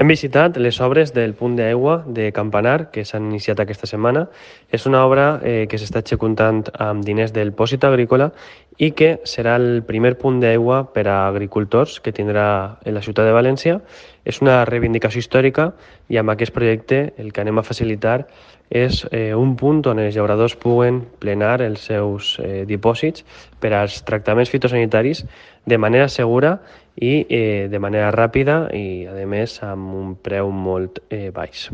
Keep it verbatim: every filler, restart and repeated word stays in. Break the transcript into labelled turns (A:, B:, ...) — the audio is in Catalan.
A: Hem visitat les obres del punt d'aigua de Campanar, que s'han iniciat aquesta setmana. És una obra eh, que s'està executant amb diners del Pòsit Agrícola i que serà el primer punt d'aigua per a agricultors que tindrà en la ciutat de València. És una reivindicació històrica i amb aquest projecte el que anem a facilitar és eh, un punt on els llauradors puguen plenar els seus eh, dipòsits per als tractaments fitosanitaris de manera segura i eh, de manera ràpida i, a més, amb un preu molt eh, baix.